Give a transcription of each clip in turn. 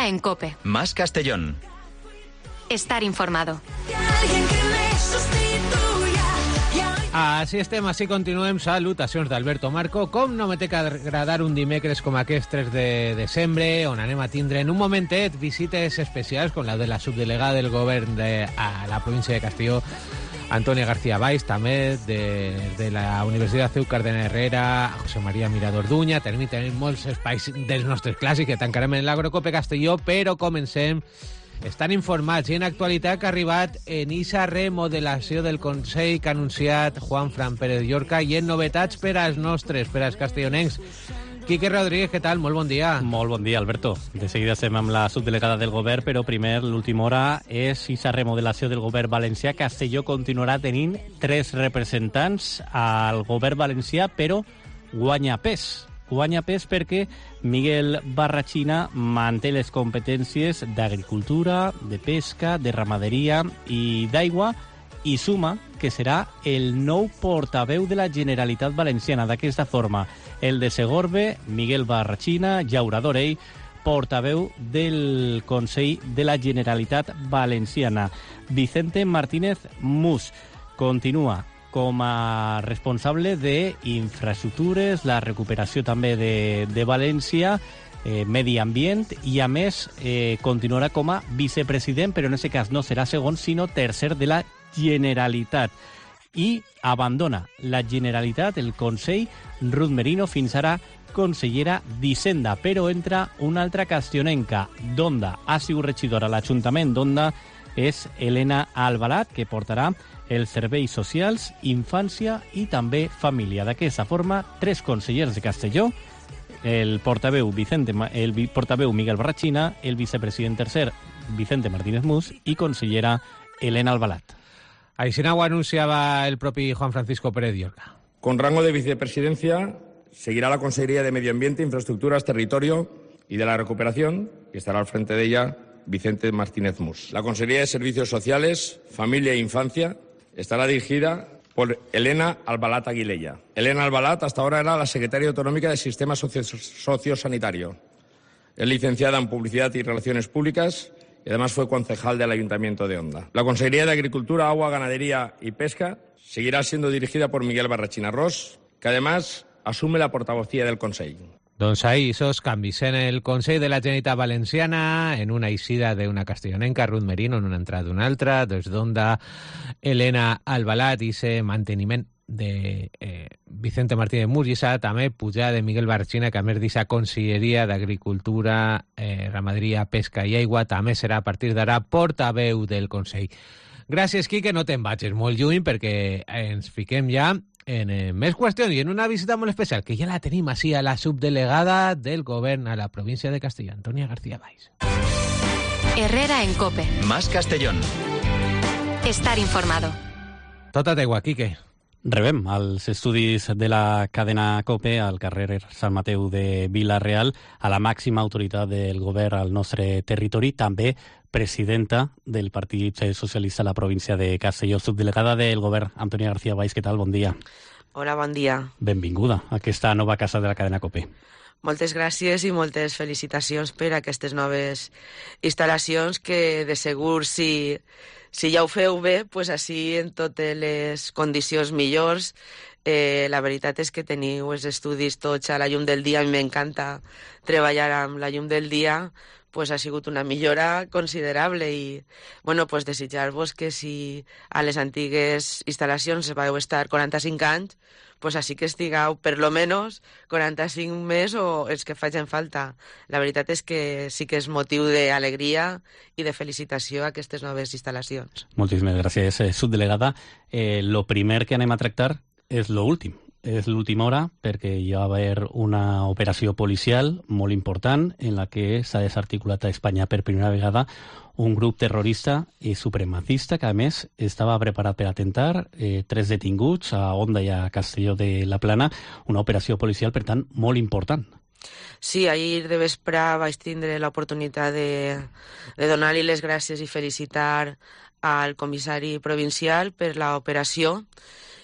en COPE. Más Castellón. Estar informado. Així estem, així continuem. Salutacions d'Alberto Marco. Com no me té que agradar un dimecres com aquest 3 de desembre, on anem a tindre en un momentet visites especials com la de la subdelegada del govern a la província de Castelló, Antònia García Valls, també de la Universitat Ceucar de Herrera, José María Mirador Duña. Tenim molts espais dels nostres clàssics que tancarem en l'Agrocope Castelló, però comencem. Estan informats i en actualitat que ha arribat en ixa remodelació del Consell que ha anunciat Juan Fran Pérez Llorca i en novetats per als nostres, per als castellonencs. Quique Rodríguez, què tal? Molt bon dia. Molt bon dia, Alberto. De seguida estem amb la subdelegada del govern, però primer, l'última hora, és ixa remodelació del govern valencià. Castelló continuarà tenint 3 representants al govern valencià, però guanya pes. Guanya pes perquè Miguel Barrachina manté les competències d'agricultura, de pesca, de ramaderia i d'aigua i suma que serà el nou portaveu de la Generalitat Valenciana. D'aquesta forma, el de Segorbe, Miguel Barrachina, llaurador ell, portaveu del Consell de la Generalitat Valenciana. Vicente Martínez Mus continua com a responsable d'infraestructures, la recuperació també de València, medi ambient, i a més continuarà com a vicepresident, però en aquest cas no serà segon, sinó tercer de la Generalitat. I abandona la Generalitat, el Consell, Ruth Merino, fins ara consellera d'Hisenda, però entra una altra castionenca d'Onda. Ha sigut regidora a l'Ajuntament d'Onda, és Elena Albalat, que portarà els serveis socials, infància i també família. D'aquesta forma, 3 consellers de Castelló, el portaveu Miguel Barrachina, el vicepresident tercer Vicente Martínez Mus i consellera Elena Albalat. Així ho anunciava el propi Juan Francisco Pérez Llorca. Con rango de vicepresidencia seguirá la Consejería de Medio Ambiente, Infraestructuras, Territorio y de la Recuperación, y estará al frente de ella Vicente Martínez Mus. La Consejería de Servicios Sociales, Familia e Infancia estará dirigida por Elena Albalat Aguilella. Elena Albalat hasta ahora era la secretaria autonómica del Sistema Sociosanitario. Es licenciada en Publicidad y Relaciones Públicas y además fue concejal del Ayuntamiento de Onda. La Consejería de Agricultura, Agua, Ganadería y Pesca seguirá siendo dirigida por Miguel Barrachina Ros, que además asume la portavocía del Consejo. Doncs ahí esos canvis en el Consell de la Generalitat Valenciana, en una eixida d'una castellonenca, Ruth Merino, en una entrada d'una altra, des d'Onda, Elena Albalat, i ese manteniment de Vicente Martínez Mus, i esa també pujada de Miguel Barrachina, que a més d'aquesta Conselleria d'Agricultura, Ramaderia, Pesca i Aigua, també serà a partir d'ara portaveu del Consell. Gràcies, Quique, no te'n vagis molt lluny, perquè ens fiquem ja en més qüestions i en una visita molt especial, que ja la tenim així a la subdelegada del govern a la província de Castelló, Antònia García Valls. Herrera en COPE. Más Castellón. Estar informado. Tota teua, Quique. Rebem als estudis de la cadena COPE, al carrer Sant Mateu de Vila-real, a la màxima autoritat del govern al nostre territori, també presidenta del Partit Socialista a la província de Castelló, subdelegada del govern, Antònia García Valls. Què tal? Bon dia. Hola, bon dia. Benvinguda a aquesta nova casa de la cadena COPE. Moltes gràcies i moltes felicitacions per aquestes noves instal·lacions que de segur si ja ho feu bé, pues així en totes les condicions millors. La veritat és que teniu els estudis tots a la llum del dia. A mi m'encanta treballar amb la llum del dia, pues ha sigut una millora considerable i bueno, pues desitjar-vos que si a les antigues instal·lacions vau estar 45 anys, pues així que estigueu per lo menos 45 més o els que facin falta. La veritat és que sí que és motiu d'alegria i de felicitació a aquestes noves instal·lacions. Moltíssimes gràcies, subdelegada. Lo primer que anem a tractar és lo últim. És l'última hora perquè hi va haver una operació policial molt important en la que s'ha desarticulat a Espanya per primera vegada un grup terrorista i supremacista que a més estava preparat per atentar, 3 detinguts a Onda i a Castelló de la Plana, una operació policial per tant molt important. Sí, ahir de vespre vaig tindre l'oportunitat de donar-li les gràcies i felicitar al comissari provincial per l'operació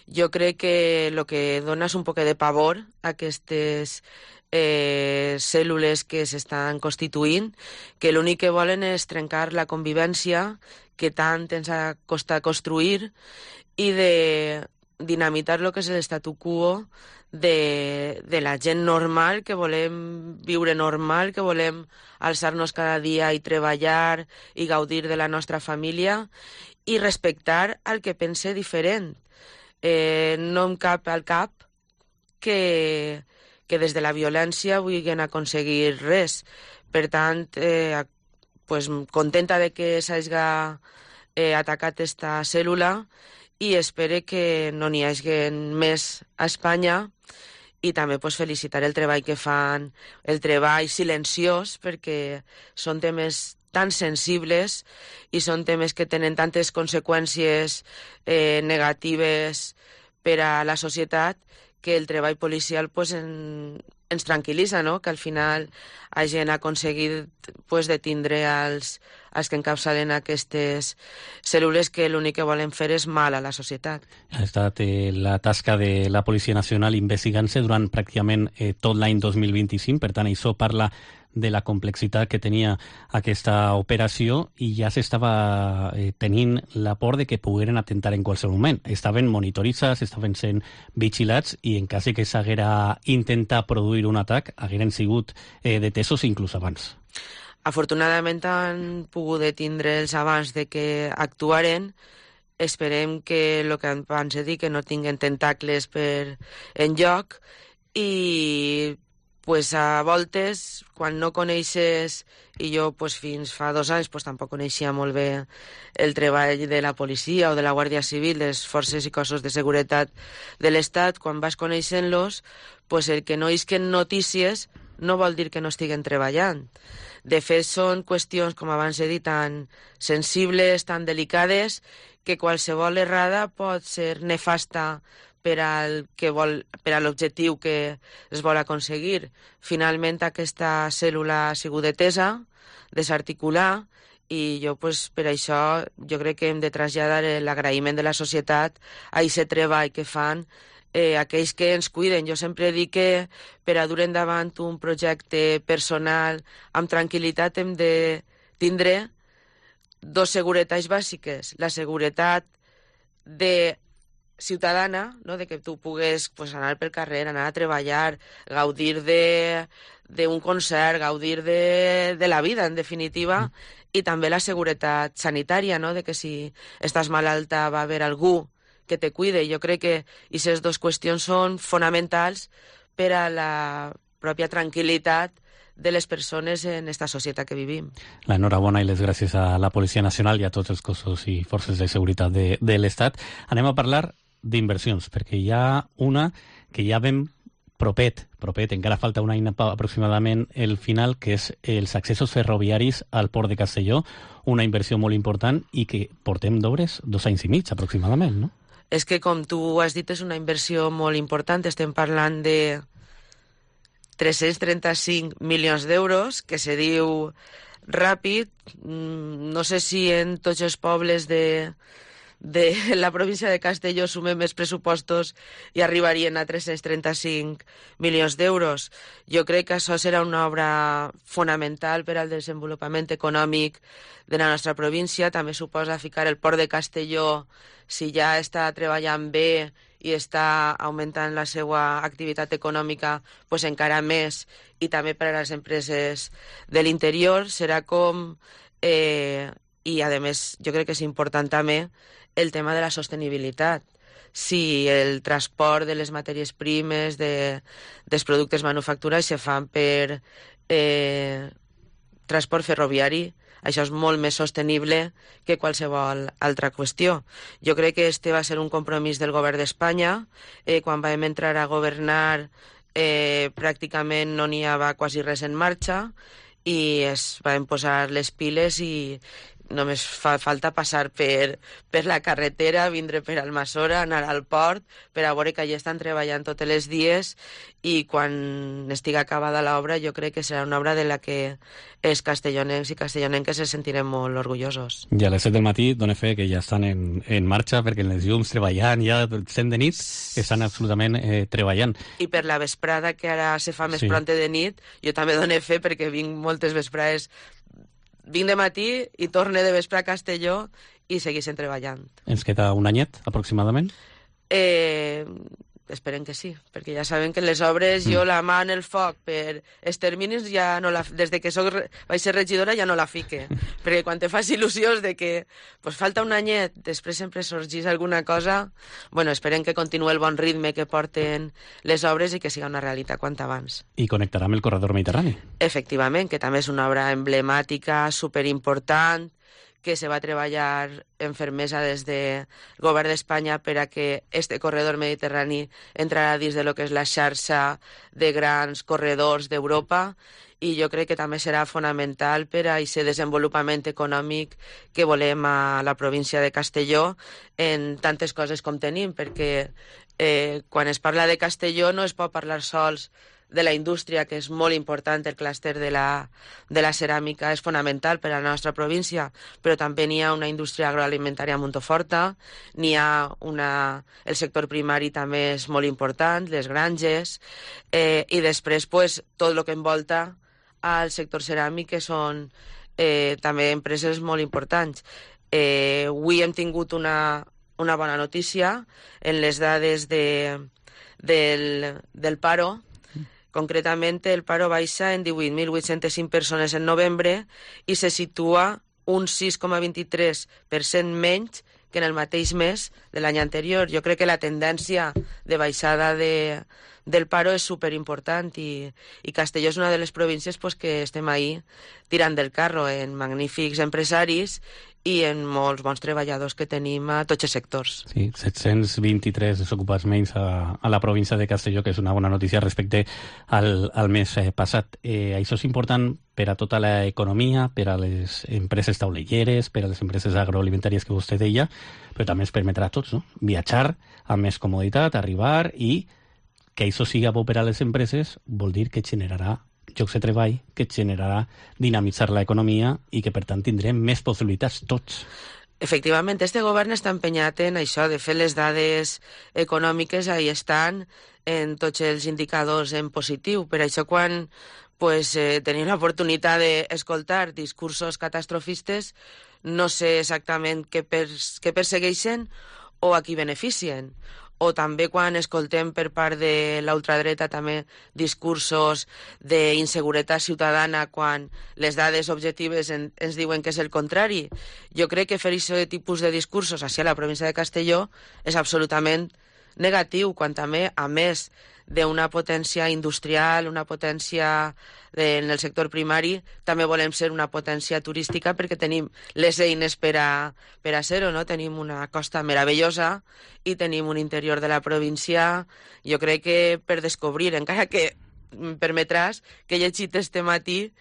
Jo crec que el que dona és un poc de pavor a aquestes cèl·lules que s'estan constituint, que l'únic que volen és trencar la convivència que tant ens ha costat construir i de dinamitar el que és l'statu quo de la gent normal, que volem viure normal, que volem alçar-nos cada dia i treballar i gaudir de la nostra família i respectar el que pense diferent. No em cap al cap que des de la violència vulguin aconseguir res. Per tant, pues, contenta de que s'hagi atacat esta cèl·lula i espero que no n'hi hagi més a Espanya i també pues, felicitar el treball que fan, el treball silenciós, perquè són temes tan sensibles i són temes que tenen tantes conseqüències negatives per a la societat que el treball policial pues, ens tranquil·litza, no? Que al final hagin aconseguit pues, detindre els que encapçalen aquestes cèl·lules que l'únic que volen fer és mal a la societat. Ha estat la tasca de la Policia Nacional investigant-se durant pràcticament tot l'any 2025, per tant, això parla de la complexitat que tenia aquesta operació i ja s'estava tenint la por de que pogueren atentar en qualsevol moment. Estaven monitoritzats, estaven sent vigilats i en cas que s'haguera intentat produir un atac, hagueren sigut detesos inclús abans. Afortunadament han pogut detindre'ls abans de que actuaren. Esperem que el que abans he dit, que no tinguen tentacles per enlloc i pues a voltes, quan no coneixes, i jo pues, fins fa 2 anys pues, tampoc coneixia molt bé el treball de la policia o de la Guàrdia Civil, de les forces i cossos de seguretat de l'Estat, quan vas coneixent-los, pues, el que no isquen notícies no vol dir que no estiguen treballant. De fet, són qüestions, com abans he dit, tan sensibles, tan delicades, que qualsevol errada pot ser nefasta per a l'objectiu que es vol aconseguir. Finalment, aquesta cèl·lula ha sigut detesa, desarticular, i jo, pues, per això, jo crec que hem de traslladar l'agraïment de la societat a aquest treball que fan aquells que ens cuiden. Jo sempre dic que per a dur endavant un projecte personal amb tranquil·litat hem de tindre 2 seguretats bàsiques. La seguretat de ciutadana, no? De que tu pugues pues, anar pel carrer, anar a treballar, gaudir d'un concert, gaudir de la vida, en definitiva, i també la seguretat sanitària, no? De que si estàs malalta va haver algú que te cuide. Jo crec que aquestes 2 qüestions són fonamentals per a la pròpia tranquil·litat de les persones en esta societat que vivim. L'enhorabona i les gràcies a la Policia Nacional i a tots els cossos i forces de seguretat de l'Estat. Anem a parlar d'inversions, perquè hi ha una que ja vam propet, encara falta un any aproximadament el final, que és els accessos ferroviaris al port de Castelló, una inversió molt important i que portem d'obres 2 anys i mig aproximadament, no? És que, com tu has dit, és una inversió molt important. Estem parlant de 335 milions d'euros, que se diu ràpid. No sé si en tots els pobles de la província de Castelló sumem més pressupostos i arribarien a 335 milions d'euros. Jo crec que això serà una obra fonamental per al desenvolupament econòmic de la nostra província. També suposa ficar el port de Castelló, si ja està treballant bé i està augmentant la seva activitat econòmica, pues encara més, i també per a les empreses de l'interior. Serà com... I, a més, jo crec que és important també el tema de la sostenibilitat. Si el transport de les matèries primes, dels productes manufacturats se fan per transport ferroviari, això és molt més sostenible que qualsevol altra qüestió. Jo crec que este va ser un compromís del govern d'Espanya. Quan vam entrar a governar, pràcticament no n'hi havia quasi res en marxa, i es van posar les piles i només fa falta passar per la carretera, vindre per Almassora, anar al port, per a veure que allà estan treballant tots els dies, i quan estigui acabada l'obra jo crec que serà una obra de la que els castellonencs i castellonenques se sentirem molt orgullosos. I a les 7 del matí dona fe que ja estan en marxa, perquè en les llums treballant, ja sent de nit, estan absolutament treballant. I per la vesprada, que ara se fa més pronta de nit, jo també dono fe perquè vinc moltes vesprades. Vinc de matí i torne de vespre a Castelló i segueixen treballant. Ens queda un anyet, aproximadament? Esperem que sí, perquè ja saben que les obres jo la mà en el foc per els terminis ja no des de que vaig ser regidora ja no la fique, perquè quan te fas il·lusions de que pues, falta un anyet, després sempre sorgís alguna cosa. Bueno, esperem que continuï el bon ritme que porten les obres i que siga una realitat quant abans. I connectarà amb el corredor mediterrani. Efectivament, que també és una obra emblemàtica, superimportant, que se va treballar en fermesa des del govern d'Espanya per a que este corredor mediterrani entrarà dins de lo que és la xarxa de grans corredors d'Europa, i jo crec que també serà fonamental per a aquest desenvolupament econòmic que volem a la província de Castelló en tantes coses com tenim, perquè quan es parla de Castelló no es pot parlar sols de la indústria, que és molt important, el clúster de la ceràmica és fonamental per a la nostra província, però també n'hi ha una indústria agroalimentària molt forta, n'hi ha el sector primari també és molt important, les granges, i després pues, tot el que envolta al sector ceràmic, que són també empreses molt importants. Avui hem tingut una bona notícia en les dades del paro. Concretament, el paro baixa en 18.805 persones en novembre i se situa un 6,23% menys que en el mateix mes de l'any anterior. Jo crec que la tendència de baixada del paro és superimportant, i Castelló és una de les províncies pues, que estem ahí tirant del carro en magnífics empresaris i en molts bons treballadors que tenim a tots els sectors. Sí, 723 desocupats menys a la província de Castelló, que és una bona notícia respecte al mes passat. Això és important per a tota l'economia, per a les empreses taulelleres, per a les empreses agroalimentàries que vostè deia, però també ens permetrà a tots, no? Viatjar amb més comoditat, arribar, i que això siga bo per a les empreses vol dir que generarà llocs de treball, que generarà dinamitzar l'economia i que, per tant, tindrem més possibilitats tots. Efectivament, este govern està empenyat en això, de fer les dades econòmiques, ahí estan, en tots els indicadors en positiu. Per això, quan tenim l'oportunitat d'escoltar discursos catastrofistes, no sé exactament què persegueixen o a qui beneficien. O també quan escoltem per part de l'ultradreta també discursos d'inseguretat ciutadana, quan les dades objectives ens diuen que és el contrari. Jo crec que fer aquest tipus de discursos hacia la província de Castelló és absolutament negatiu, quan també, a més d'una potència industrial, una potència en el sector primari, també volem ser una potència turística perquè tenim les eines per a ser-ho, no? Tenim una costa meravellosa i tenim un interior de la província, jo crec que per descobrir, encara que em permetràs que he llegit este matí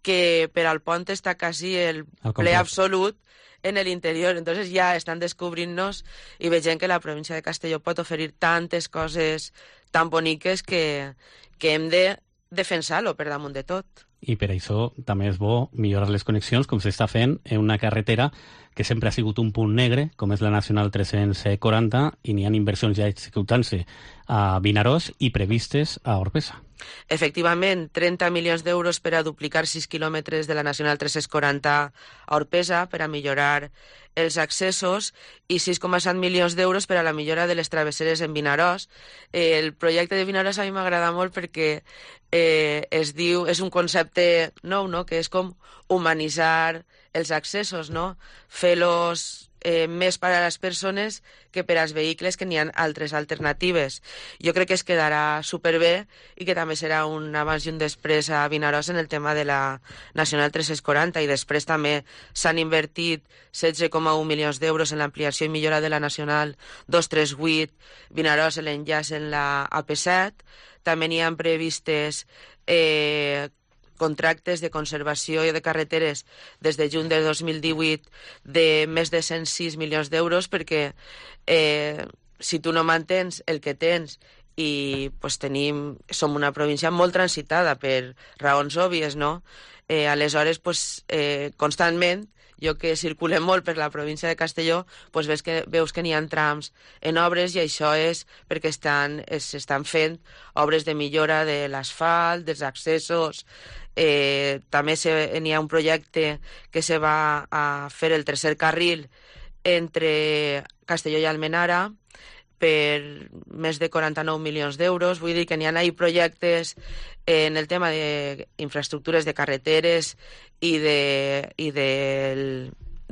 que per al pont està quasi el ple absolut en el interior. Entonces ya están descubriendo-nos i veiem que la província de Castelló pot oferir tantes coses tan boniques que hem de defensar-lo per damunt de tot. I per això també és bo millorar les connexions, com s'està fent en una carretera que sempre ha sigut un punt negre, com és la Nacional 340, i n'hi ha inversions ja executant-se a Vinaròs i previstes a Orpesa. Efectivament, 30 milions d'euros per a duplicar 6 quilòmetres de la Nacional 340 a Orpesa per a millorar els accessos i 6,7 milions d'euros per a la millora de les travesseres en Vinaròs. El projecte de Vinaròs a mi m'agrada molt perquè és un concepte nou, no? Que és com humanitzar els accessos, no? Fer-los més per a les persones que per als vehicles, que n'hi ha altres alternatives. Jo crec que es quedarà superbé i que també serà un abans i un després a Vinaròs en el tema de la Nacional 340, i després també s'han invertit 16,1 milions d'euros en l'ampliació i millora de la Nacional 238 Vinaròs, l'enllaç en la AP7. També n'hi ha previstes contractes de conservació de carreteres des de juny de 2018 de més de 106 milions d'euros, perquè si tu no mantens el que tens i pues, som una província molt transitada per raons òbvies, no? Aleshores, pues, constantment, jo que circulem molt per la província de Castelló, pues veus que n'hi ha trams en obres i això és perquè s'estan fent obres de millora de l'asfalt, dels accessos. També n'hi ha un projecte que se va a fer el tercer carril entre Castelló i Almenara per més de 49 milions d'euros. Vull dir que n'hi ha projectes en el tema d'infraestructures de carreteres i de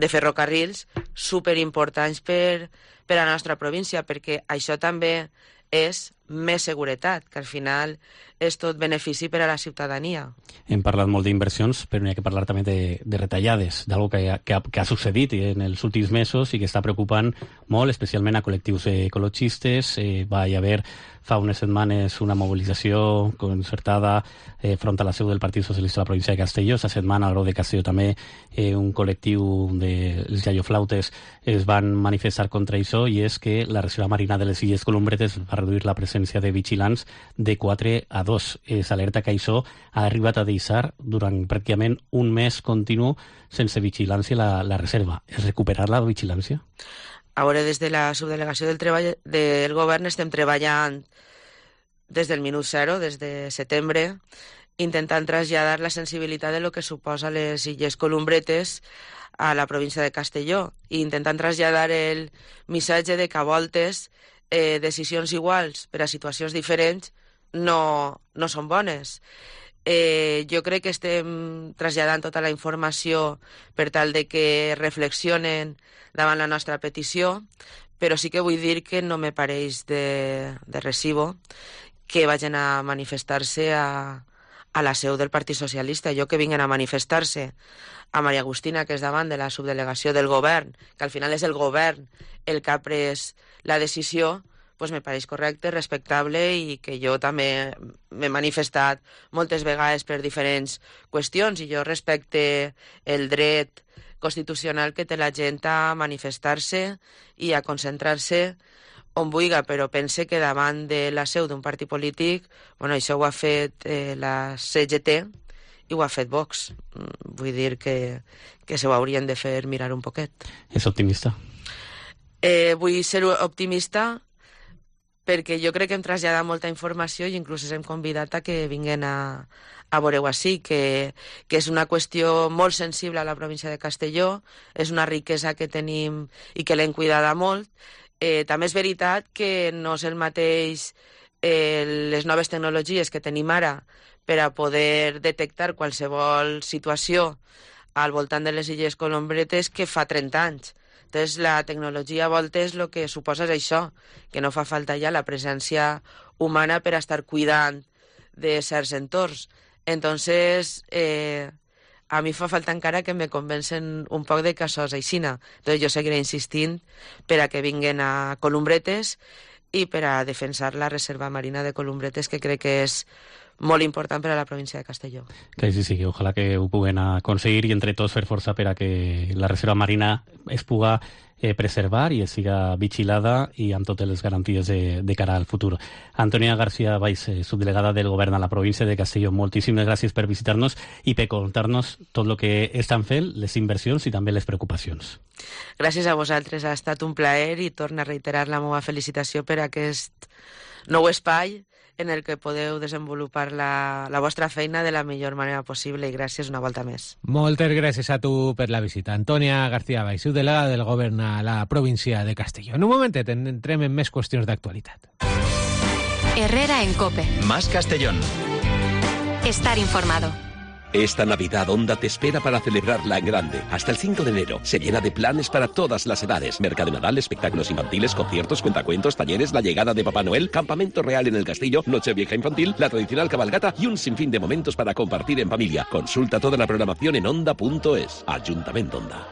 ferrocarrils superimportants per a la nostra província, perquè això també és més seguretat, que al final és tot benefici per a la ciutadania. Hem parlat molt d'inversions, però n'hi ha que parlar també de retallades, d'algo que ha succeït en els últims mesos i que està preocupant molt, especialment a col·lectius ecologistes. Va haver fa unes setmanes una mobilització concertada front a la seu del Partit Socialista de la província de Castelló. Esta setmana, al Grau de Castelló, també un col·lectiu dels iaioflautes es van manifestar contra això, i és que la Reserva Marina de les Illes Columbretes va reduir la presència de vigilants de 4 a 2. S'alerta que això ha arribat a deixar durant pràcticament un mes continu sense vigilància la reserva. És recuperar la vigilància? Ara, des de la subdelegació del govern estem treballant des del minut zero, des de setembre, intentant traslladar la sensibilitat de lo que suposa les Illes Columbretes a la província de Castelló i intentant traslladar el missatge de que a voltes decisions iguals per a situacions diferents no són bones. Jo crec que estem traslladant tota la informació per tal de que reflexionen davant la nostra petició, però sí que vull dir que no me pareix de recibo que vagin a manifestar-se a la seu del Partit Socialista. Jo que vinguen a manifestar-se a Maria Agustina, que és davant de la subdelegació del govern, que al final és el govern el que ha pres la decisió, pues me pareix correcte, respectable, i que jo també m'he manifestat moltes vegades per diferents qüestions, i jo respecte el dret constitucional que té la gent a manifestar-se i a concentrar-se on vulgui, però pense que davant de la seu d'un partit polític, bueno, això ho ha fet la CGT i ho ha fet Vox. Vull dir que se ho haurien de fer mirar un poquet. És optimista? Vull ser optimista perquè jo crec que hem traslladat molta informació i inclús hem convidat a que vinguin a veure-ho així, que és una qüestió molt sensible a la província de Castelló, és una riquesa que tenim i que l'hem cuidada molt. També és veritat que no és el mateix les noves tecnologies que tenim ara per a poder detectar qualsevol situació al voltant de les Illes Columbretes que fa 30 anys. Entonces, la tecnologia a voltes el que suposa és això, que no fa falta ja la presència humana per a estar cuidant de certs entorns. Entonces, a mi fa falta encara que me convencen un poc de que això és aixina. Entonces, jo seguiré insistint per a que vinguen a Columbretes i per a defensar la Reserva Marina de Columbretes, que crec que és molt important per a la província de Castelló. Que sí, ojalà que ho puguen aconseguir i entre tots fer força per a que la Reserva Marina es puga preservar i siga vigilada i amb totes les garanties de cara al futur. Antònia García Valls, subdelegada del Govern a la província de Castelló, moltíssimes gràcies per visitar-nos i per contar-nos tot el que estan fent, les inversions i també les preocupacions. Gràcies a vosaltres, ha estat un plaer i torno a reiterar la meva felicitació per aquest nou espai en el que podeu desenvolupar la vostra feina de la millor manera possible, i gràcies una volta més. Moltes gràcies a tu per la visita. Antònia García Valls, subdelegada del Govern a la província de Castelló. En un momentet entrem en més qüestions d'actualitat. Herrera en COPE. Más Castellón. Estar informado. Esta Navidad Onda te espera para celebrarla en grande. Hasta el 5 de enero se llena de planes para todas las edades. Mercado de Nadal, espectáculos infantiles, conciertos, cuentacuentos, talleres, la llegada de Papá Noel, campamento real en el castillo, Nochevieja infantil, la tradicional cabalgata y un sinfín de momentos para compartir en familia. Consulta toda la programación en onda.es. Ayuntamiento Onda.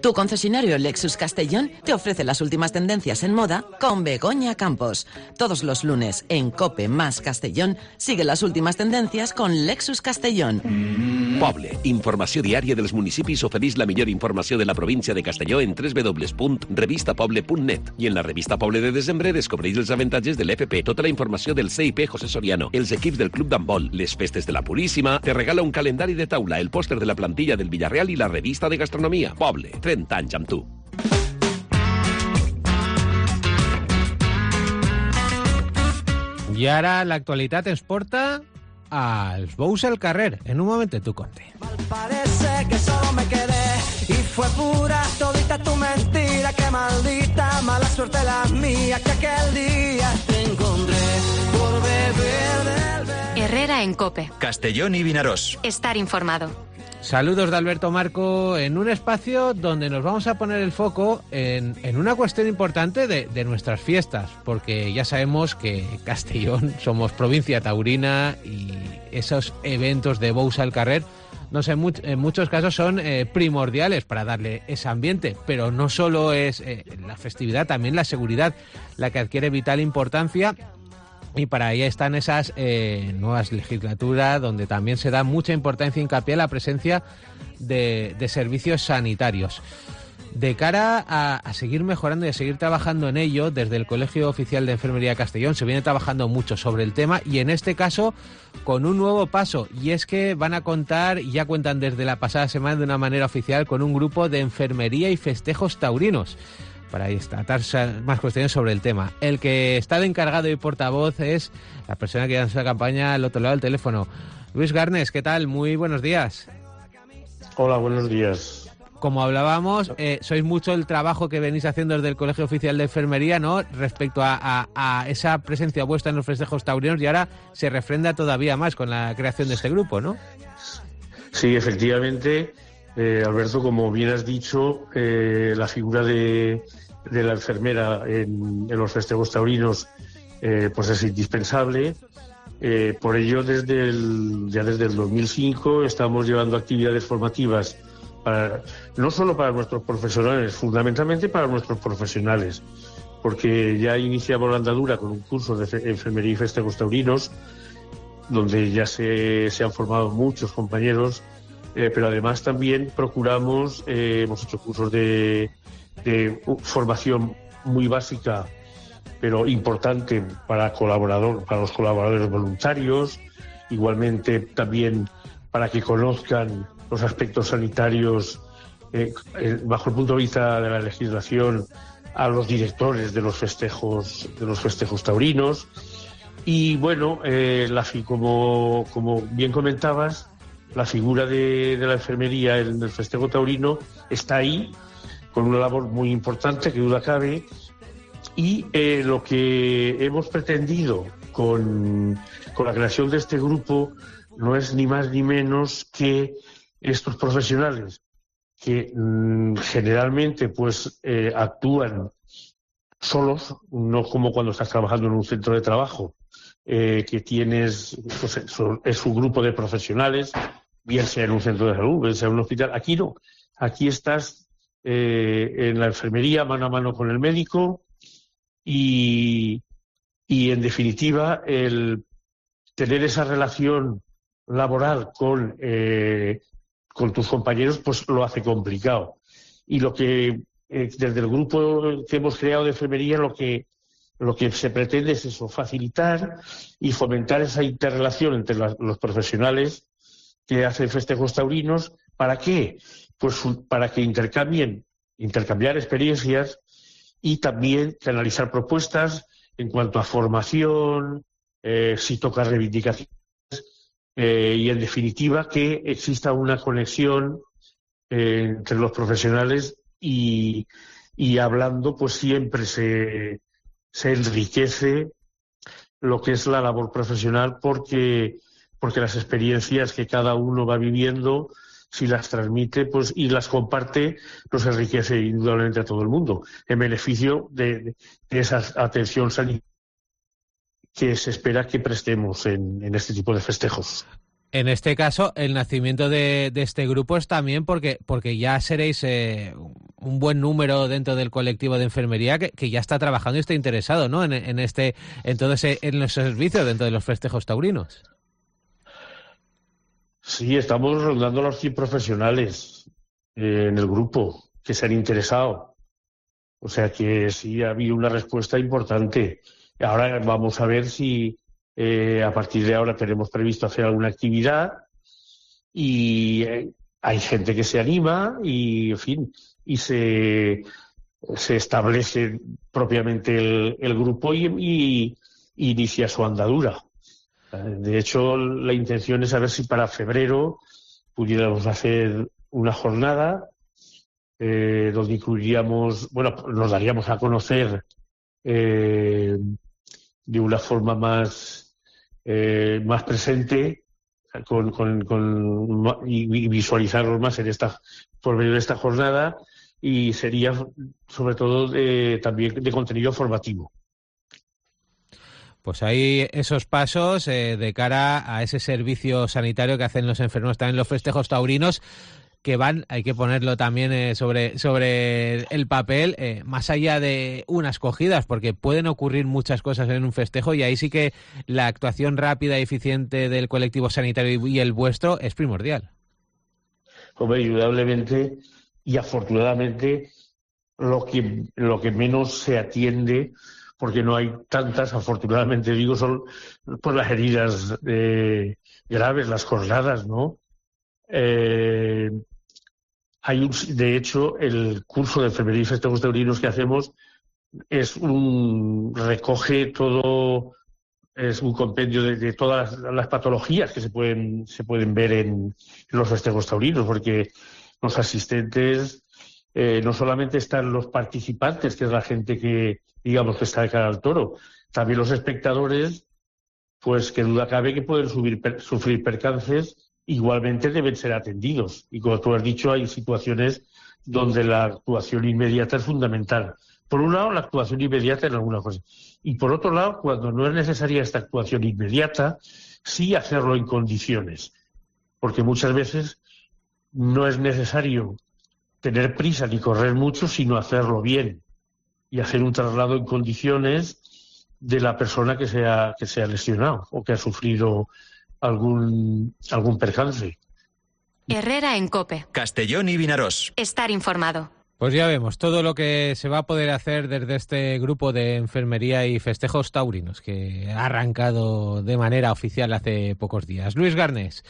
Tu concesionario Lexus Castellón te ofrece las últimas tendencias en moda con Begoña Campos. Todos los lunes en COPE más Castellón sigue las últimas tendencias con Lexus Castellón. Poble, informació diària dels municipis, ofereix la millor informació de la província de Castelló en www.revistapoble.net. I en la revista Poble de desembre descobreix els avantatges de l'FP, tota la informació del CIP José Soriano, els equips del Club d'Handbol, les festes de la Puríssima, te regala un calendari de taula, el pòster de la plantilla del Villarreal i la revista de gastronomia. Poble, 30 anys amb tu. I ara l'actualitat ens porta als bous al carrer. En un moment tu conte. Parece que solo me quedé y fue pura todita tu mentira, que maldita mala suerte la mía, que aquel día te encontré por beber del... Herrera en COPE. Castellón y Vinarós. Estar informado. Saludos de Alberto Marco en un espacio donde nos vamos a poner el foco en una cuestión importante de nuestras fiestas, porque ya sabemos que Castellón somos provincia taurina y esos eventos de bous al carrer no sé, en muchos casos son primordiales para darle ese ambiente, pero no solo es la festividad, también la seguridad la que adquiere vital importancia. Y para ahí están esas nuevas legislaturas donde también se da mucha importancia e hincapié a la presencia de servicios sanitarios. De cara a seguir mejorando y a seguir trabajando en ello, desde el Colegio Oficial de Enfermería de Castellón se viene trabajando mucho sobre el tema y en este caso con un nuevo paso, y es que van a contar, y ya cuentan desde la pasada semana de una manera oficial, con un grupo de enfermería y festejos taurinos para tratar más cuestiones sobre el tema. El que está de encargado y portavoz es la persona que lanza la campaña al otro lado del teléfono. Luis Garnes, ¿qué tal? Muy buenos días. Hola, buenos días. Como hablábamos, sois mucho el trabajo que venís haciendo desde el Colegio Oficial de Enfermería, ¿no?, respecto a esa presencia vuestra en los festejos taurinos, y ahora se refrenda todavía más con la creación de este grupo, ¿no? Sí, efectivamente, Alberto, como bien has dicho, la figura de la enfermera en los festejos taurinos pues es indispensable. Por ello, ya desde el 2005 estamos llevando actividades formativas no solo para nuestros profesionales, fundamentalmente para nuestros profesionales, porque ya iniciamos la andadura con un curso de enfermería y festejos taurinos, donde ya se han formado muchos compañeros, pero además también procuramos, hemos hecho cursos de formación muy básica, pero importante para los colaboradores voluntarios, igualmente también para que conozcan los aspectos sanitarios bajo el punto de vista de la legislación a los directores de los festejos taurinos. Y bueno, como bien comentabas, la figura de la enfermería en el festejo taurino está ahí, con una labor muy importante, que duda cabe, y lo que hemos pretendido con la creación de este grupo no es ni más ni menos que estos profesionales que generalmente pues actúan solos, no como cuando estás trabajando en un centro de trabajo, que tienes, pues, es un grupo de profesionales, bien sea en un centro de salud, bien sea en un hospital. Aquí no, aquí estás en la enfermería mano a mano con el médico y en definitiva el tener esa relación laboral con tus compañeros pues lo hace complicado. Y lo que desde el grupo que hemos creado de enfermería lo que se pretende es eso, facilitar y fomentar esa interrelación entre los profesionales que hacen festejos taurinos. ¿Para qué? Pues para que intercambiar experiencias y también canalizar propuestas en cuanto a formación, si toca reivindicaciones, y en definitiva que exista una conexión entre los profesionales y hablando pues siempre se enriquece lo que es la labor profesional porque las experiencias que cada uno va viviendo, si las transmite pues y las comparte, nos enriquece indudablemente a todo el mundo en beneficio de esa atención sanitaria que se espera que prestemos en este tipo de festejos. En este caso, el nacimiento de este grupo es también porque ya seréis un buen número dentro del colectivo de enfermería que ya está trabajando y está interesado, ¿no? en los servicios dentro de los festejos taurinos. Sí, estamos rondando los 100 profesionales en el grupo que se han interesado. O sea que sí ha habido una respuesta importante. Ahora vamos a ver si a partir de ahora tenemos previsto hacer alguna actividad y hay gente que se anima y, en fin, y se establece propiamente el grupo y inicia su andadura. De hecho, la intención es a ver si para febrero pudiéramos hacer una jornada donde incluiríamos, nos daríamos a conocer de una forma más presente y visualizarlos más por medio de esta jornada, y sería sobre todo también de contenido formativo. Pues hay esos pasos de cara a ese servicio sanitario que hacen los enfermos también en los festejos taurinos, que van, hay que ponerlo también sobre el papel, más allá de unas cogidas, porque pueden ocurrir muchas cosas en un festejo, y ahí sí que la actuación rápida y eficiente del colectivo sanitario y el vuestro es primordial. Hombre, indudablemente, y afortunadamente lo que menos se atiende, porque no hay tantas, afortunadamente digo, son por las heridas graves, las cornadas, ¿no? De hecho, el curso de enfermería y festejos taurinos que hacemos recoge todo, es un compendio de todas las patologías que se pueden ver en los festejos taurinos, porque los asistentes no solamente están los participantes, que es la gente que, digamos, que está de cara al toro, también los espectadores, pues que duda cabe que pueden sufrir percances. Igualmente deben ser atendidos. Y como tú has dicho, hay situaciones donde la actuación inmediata es fundamental. Por un lado, la actuación inmediata en alguna cosa. Y por otro lado, cuando no es necesaria esta actuación inmediata, sí hacerlo en condiciones. Porque muchas veces no es necesario tener prisa ni correr mucho, sino hacerlo bien. Y hacer un traslado en condiciones de la persona que se ha lesionado o que ha sufrido algún percance. Herrera en COPE. Castellón y Vinarós. Estar informado. Pues ya vemos todo lo que se va a poder hacer desde este grupo de enfermería y festejos taurinos que ha arrancado de manera oficial hace pocos días. Luis Garnés,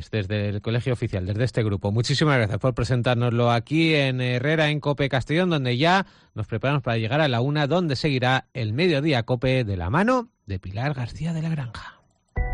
desde el Colegio Oficial, desde este grupo, muchísimas gracias por presentárnoslo aquí en Herrera en COPE Castellón, donde ya nos preparamos para llegar a la 1, donde seguirá el Mediodía COPE de la mano de Pilar García de la Granja.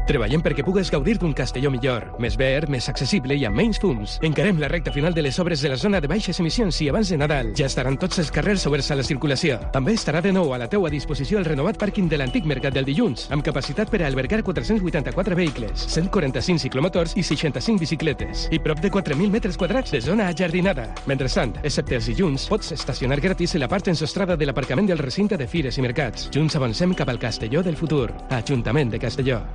Treballem perquè pugues gaudir d'un Castelló millor, més verd, més accessible i amb menys fums. Encarem la recta final de les obres de la zona de baixes emissions i abans de Nadal. Ja estaran tots els carrers oberts a la circulació. També estarà de nou a la teua disposició el renovat pàrquing de l'antic Mercat del Dilluns, amb capacitat per a albergar 484 vehicles, 145 ciclomotors i 65 bicicletes, i prop de 4.000 metres quadrats de zona ajardinada. Mentrestant, excepte els dilluns, pots estacionar gratis en la part ensostrada de l'aparcament del recinte de fires i mercats. Junts avancem cap al Castelló del futur. Ajuntament de Castelló.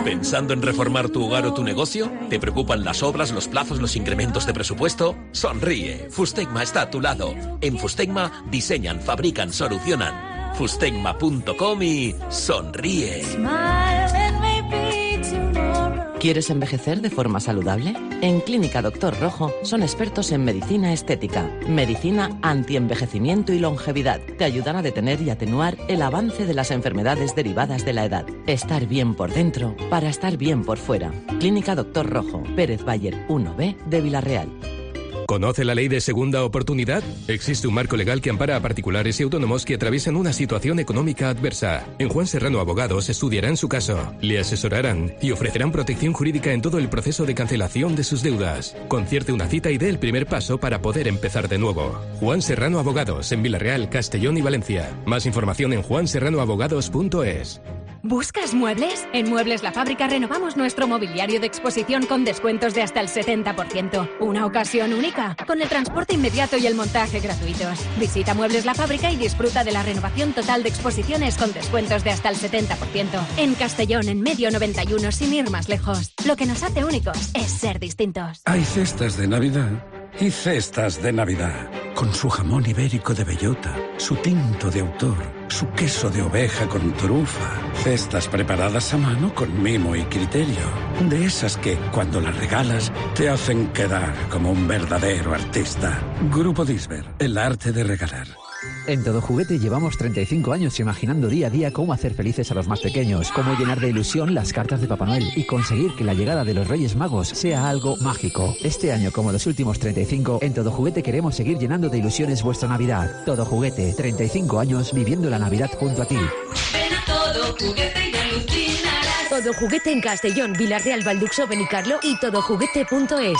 ¿Pensando en reformar tu hogar o tu negocio? ¿Te preocupan las obras, los plazos, los incrementos de presupuesto? Sonríe, Fustegma está a tu lado. En Fustegma diseñan, fabrican, solucionan. Fustegma.com y sonríe. ¿Quieres envejecer de forma saludable? En Clínica Doctor Rojo son expertos en medicina estética, medicina antienvejecimiento y longevidad. Te ayudan a detener y atenuar el avance de las enfermedades derivadas de la edad. Estar bien por dentro para estar bien por fuera. Clínica Doctor Rojo, Pérez Bayer 1B de Villarreal. ¿Conoce la ley de segunda oportunidad? Existe un marco legal que ampara a particulares y autónomos que atraviesan una situación económica adversa. En Juan Serrano Abogados estudiarán su caso, le asesorarán y ofrecerán protección jurídica en todo el proceso de cancelación de sus deudas. Concierte una cita y dé el primer paso para poder empezar de nuevo. Juan Serrano Abogados en Villarreal, Castellón y Valencia. Más información en juanserranoabogados.es. ¿Buscas muebles? En Muebles La Fábrica renovamos nuestro mobiliario de exposición con descuentos de hasta el 70%. Una ocasión única, con el transporte inmediato y el montaje gratuitos. Visita Muebles La Fábrica y disfruta de la renovación total de exposiciones con descuentos de hasta el 70%. En Castellón, en Medio 91, sin ir más lejos. Lo que nos hace únicos es ser distintos. Hay cestas de Navidad y cestas de Navidad. Con su jamón ibérico de bellota, su tinto de autor, su queso de oveja con trufa. Cestas preparadas a mano con mimo y criterio. De esas que, cuando las regalas, te hacen quedar como un verdadero artista. Grupo Disber, el arte de regalar. En Todo Juguete llevamos 35 años imaginando día a día cómo hacer felices a los más pequeños, cómo llenar de ilusión las cartas de Papá Noel y conseguir que la llegada de los Reyes Magos sea algo mágico. Este año, como los últimos 35, en Todo Juguete queremos seguir llenando de ilusiones vuestra Navidad. Todo Juguete, 35 años viviendo la Navidad junto a ti. Ven a Todo Juguete y alucinarás. Todo Juguete en Castellón, Vilar Real, Valduxo, Benicarlo y todojuguete.es.